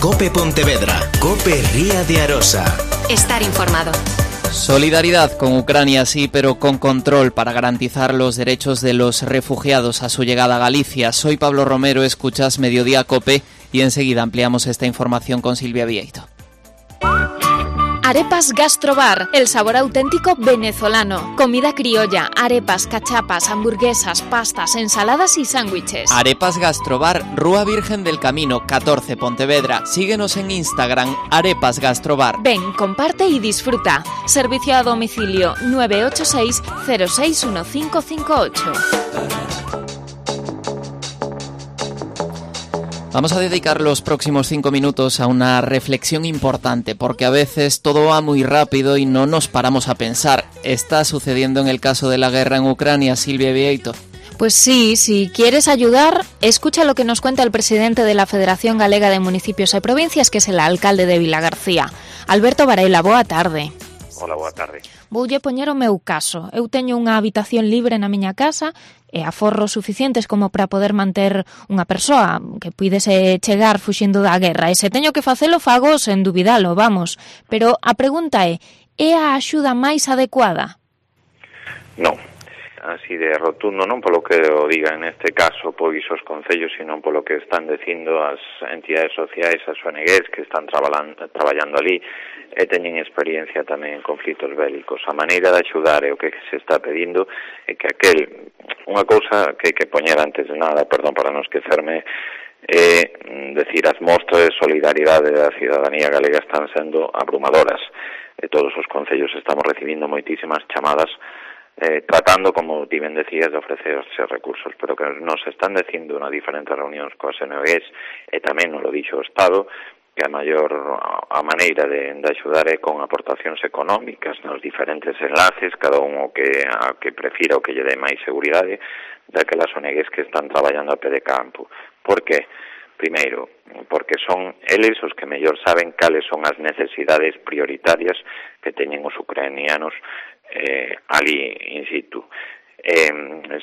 COPE Pontevedra. COPE Ría de Arosa. Estar informado. Solidaridad con Ucrania, sí, pero con control para garantizar los derechos de los refugiados a su llegada a Galicia. Soy Pablo Romero, escuchas Mediodía COPE y enseguida ampliamos esta información con Silvia Vieito. Arepas Gastrobar, el sabor auténtico venezolano. Comida criolla, arepas, cachapas, hamburguesas, pastas, ensaladas y sándwiches. Arepas Gastrobar, Rúa Virgen del Camino, 14, Pontevedra. Síguenos en Instagram, Arepas Gastrobar. Ven, comparte y disfruta. Servicio a domicilio 986 061558. Vamos a dedicar los próximos 5 minutos a una reflexión importante, porque a veces todo va muy rápido y no nos paramos a pensar. ¿Está sucediendo en el caso de la guerra en Ucrania, Silvia Vieito? Pues sí, si quieres ayudar, escucha lo que nos cuenta el presidente de la Federación Galega de Municipios e Provincias, que es el alcalde de Vilagarcía. Alberto Varela, boa tarde. Hola, boa tarde. Voulle poñer o meu caso. Eu teño unha habitación libre na miña casa e aforros suficientes como para poder manter unha persoa que puidese chegar fuxindo da guerra. E se teño que facelo, fago sen dubidalo, vamos. Pero a pregunta é a axuda máis adecuada? Non. Así de rotundo, non polo que o digan neste caso pois os concellos, sino polo que están dicindo as entidades sociais, as ONGs que están traballando ali e teñen experiencia tamén en conflitos bélicos. A maneira de axudar é o que se está pedindo é que unha cousa que hai que poñer antes de nada, perdón para non esquecerme, é decir, as mostras de solidaridade da cidadanía galega están sendo abrumadoras e todos os concellos estamos recibindo moitísimas chamadas tratando, como ti ben decías, de ofrecerse recursos, pero que nos están dicindo na diferentes reunións coas ONGs e tamén nos lo dixo o Estado, que a maneira de axudar é con aportacións económicas nos diferentes enlaces, cada un o que prefira o que lle dé máis seguridade daquelas ONGs que están traballando a pé de campo. Por que? Primeiro, porque son eles os que mellor saben cales son as necesidades prioritarias que teñen os ucranianos ali in situ.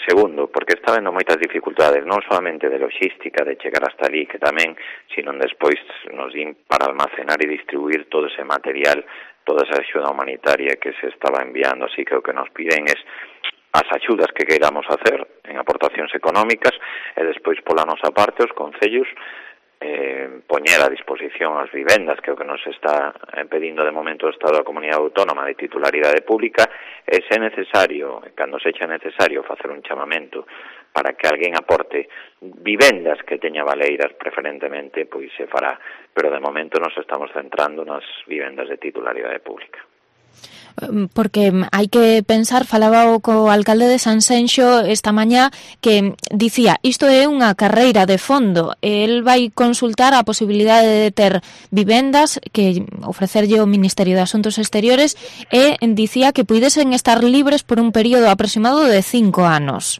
Segundo, porque está vendo moitas dificultades, non solamente de logística, de chegar hasta ali, que tamén, sino despois nos din para almacenar e distribuir todo ese material, toda esa axuda humanitaria que se estaba enviando. Así que o que nos piden é as axudas que queiramos hacer en aportacións económicas e despois pola nosa parte os concellos poñer a disposición as vivendas, que é o que nos está pedindo de momento o Estado da Comunidade Autónoma de titularidade pública, e se necesario, cando sexa necesario, facer un chamamento para que alguén aporte vivendas que teña valeiras preferentemente, pois se fará, pero de momento nos estamos centrando nas vivendas de titularidade pública. Porque hai que pensar, falaba co alcalde de Sanxenxo esta mañá que dicía, isto é unha carreira de fondo, el vai consultar a posibilidade de ter vivendas que ofrecerlle o Ministerio de Asuntos Exteriores e dicía que puidesen estar libres por un período aproximado de 5 anos.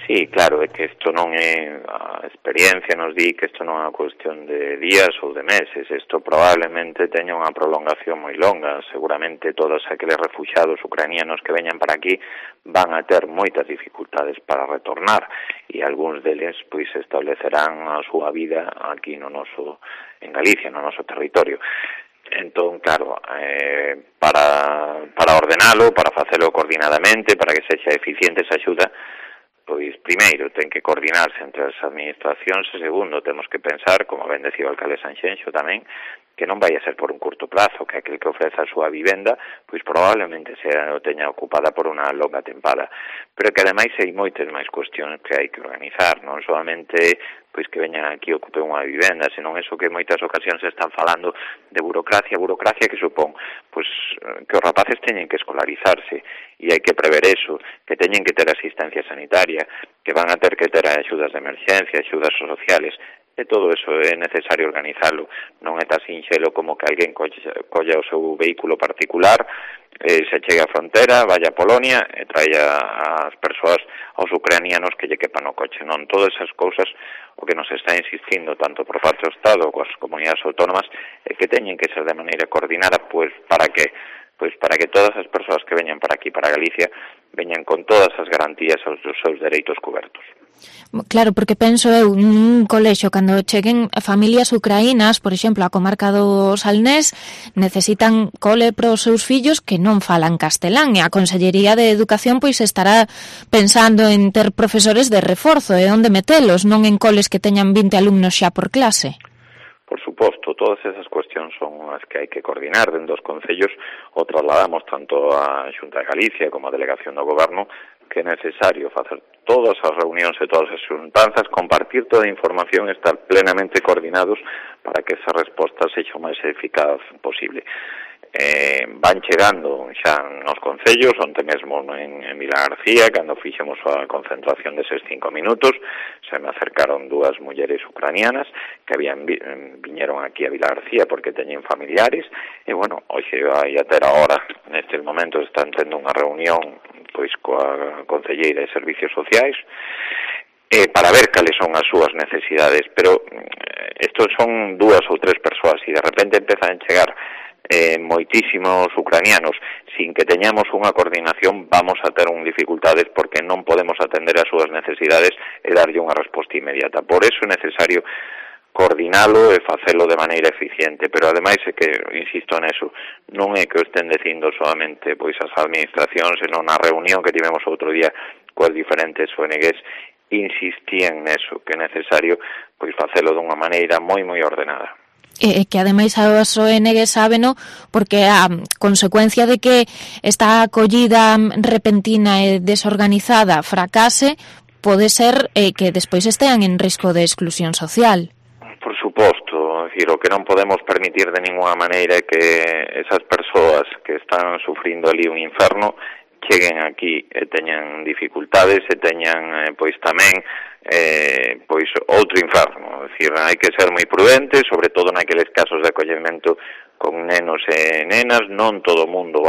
Sí, claro, é que isto non é, a experiencia nos di que isto non é unha cuestión de días ou de meses, isto probablemente teña unha prolongación moi longa, seguramente todos aqueles refugiados ucranianos que veñan para aquí van a ter moitas dificultades para retornar e algúns deles pois establecerán a súa vida aquí en Galicia, no noso territorio. Entón, claro, para ordenalo, para facelo coordinadamente, para que sexa eficiente esa axuda, pois primeiro ten que coordinarse entre as administracións e segundo temos que pensar, como ben decía o alcalde Sanxenxo tamén, que non vai a ser por un curto prazo, que aquel que ofrece a súa vivenda pois probablemente o teña ocupada por unha longa tempada, pero que ademais hai moitas máis cuestións que hai que organizar, non solamente pois que veñan aquí e ocupen unha vivenda, senón eso que en moitas ocasións están falando de burocracia que supón pois que os rapaces teñen que escolarizarse e hai que prever eso, que teñen que ter asistencia sanitaria, que van a ter que ter axudas de emerxencia, axudas sociales, e todo eso é necesario organizalo, non é tan sinxelo como que alguén colla o seu vehículo particular, se chegue á frontera, vaya a Polonia e traia as persoas, aos ucranianos que lle quepan no coche, non? Todas esas cousas o que nos está insistindo tanto por parte do Estado coas comunidades autónomas é que teñen que ser de maneira coordinada, pois para que pois para que todas as persoas que veñan para aquí, para Galicia, veñan con todas as garantías aos seus dereitos cobertos. Claro, porque penso eu nun colexo, cando cheguen familias ucraínas, por exemplo, a comarca do Salnés, necesitan cole para os seus fillos que non falan castelán, e a Consellería de Educación pois estará pensando en ter profesores de reforzo e onde metelos, non en coles que teñan 20 alumnos xa por clase. Por suposto, todas esas cuestións son as que hai que coordinar dentro dos concellos, o trasladamos tanto a Xunta de Galicia como a Delegación do Goberno, que é necesario facer todas as reunións e todas as xuntanzas, compartir toda a información e estar plenamente coordinados para que esa resposta sexa o máis eficaz posible. Van chegando xa nos concellos, onte mesmo en Vilar García, cando fixemos a concentración deses 5 minutos, se me acercaron dúas mulleres ucranianas que viñeron aquí a Vilar García porque teñen familiares, e bueno, hoxe vai a ter ahora, nestes momentos están tendo unha reunión pois coa concelleira de Servicios Sociais, para ver cales son as súas necesidades, pero estos son 2 ou 3 persoas e de repente empezan a chegar moitísimos ucranianos sin que teñamos unha coordinación, vamos a ter dificultades porque non podemos atender as súas necesidades e darlle unha resposta inmediata. Por eso é necesario coordinalo e facelo de maneira eficiente, pero ademais é que, insisto neso, non é que o estén dicindo solamente pois as administracións, senón na reunión que tivemos outro día coas diferentes ONGs, insistían neso, que é necesario pois facelo dunha maneira moi ordenada. Que ademais as ONG sábeno porque a consecuencia de que esta acollida repentina e desorganizada fracase pode ser que despois estean en risco de exclusión social. Por suposto, decir, o que non podemos permitir de ninguna maneira é que esas persoas que están sufrindo ali un inferno cheguen aquí e teñan dificultades e teñan pois tamén pois outro inferno. É dicir, hai que ser moi prudentes, sobre todo naqueles casos de acollemento con nenos e nenas, non todo mundo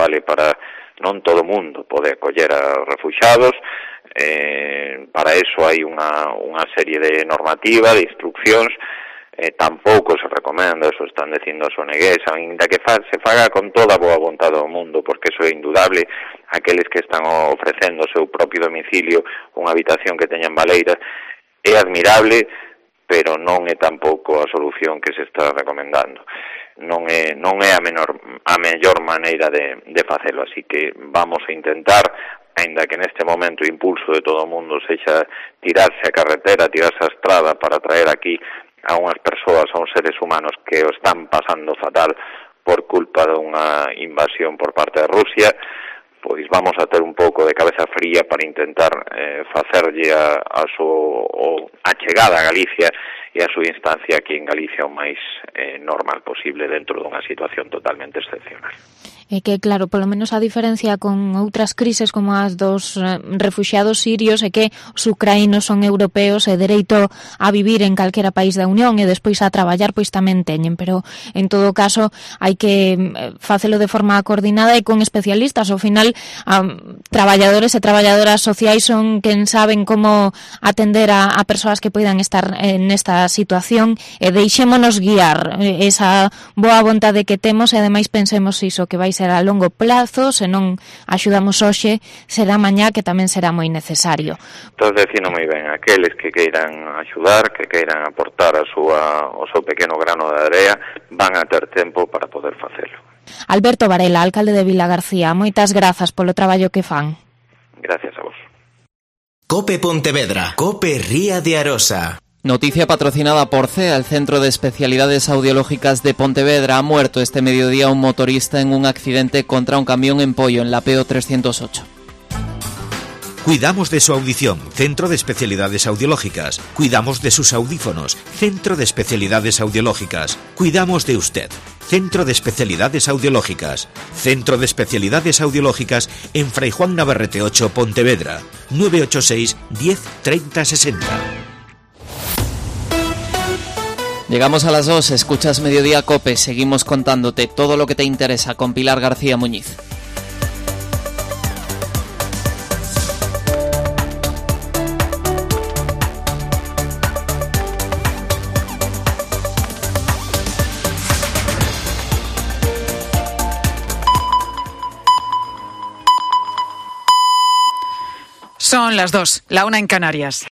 pode acoller a refuxiados, para eso hai unha serie de normativa, de instruccións, tampouco se recomenda, eso están dicindo as ONGs, ainda que se faga con toda a boa vontade do mundo, porque eso é indudable, aqueles que están ofrecendo o seu propio domicilio unha habitación que teñan baleiras, é admirable, pero non é tampouco a solución que se está recomendando. Non é a mellor maneira de facelo, así que vamos a intentar, ainda que neste momento o impulso de todo o mundo sexa tirarse a carretera, tirarse a estrada para traer aquí a unhas persoas, a uns seres humanos que o están pasando fatal por culpa dunha invasión por parte de Rusia, pois vamos a ter un pouco de cabeza fría para intentar facerlle a chegada a Galicia e a súa instancia aquí en Galicia o máis normal posible dentro dunha situación totalmente excepcional. É que, claro, polo menos a diferencia con outras crises como as dos refuxiados sirios é que os ucraínos son europeos e dereito a vivir en calquera país da Unión e despois a traballar pois tamén teñen, pero en todo caso hai que facelo de forma coordinada e con especialistas. Ao final, traballadores e traballadoras sociais son quen saben como atender a persoas que poidan estar nesta situación e deixémonos guiar esa boa vontade que temos e ademais pensemos iso que vai ser a longo plazo, se non axudamos hoxe, será mañá que tamén será moi necesario. Estás dicindo moi ben, aqueles que queiran axudar, que queiran aportar o seu pequeno grano de area, van a ter tempo para poder facelo. Alberto Varela, alcalde de Vilar García, moitas grazas polo traballo que fan. Gracias a vos. COPE Pontevedra, COPE Ría de Arosa. Noticia patrocinada por CEA, el Centro de Especialidades Audiológicas de Pontevedra. Ha muerto este mediodía un motorista en un accidente contra un camión en Pollo, en la PO 308. Cuidamos de su audición, Centro de Especialidades Audiológicas. Cuidamos de sus audífonos, Centro de Especialidades Audiológicas. Cuidamos de usted, Centro de Especialidades Audiológicas. Centro de Especialidades Audiológicas en Fray Juan Navarrete 8, Pontevedra. 986 10 30 60. Llegamos a las 2, escuchas Mediodía COPE, seguimos contándote todo lo que te interesa con Pilar García Muñiz. Son las 2, la 1 en Canarias.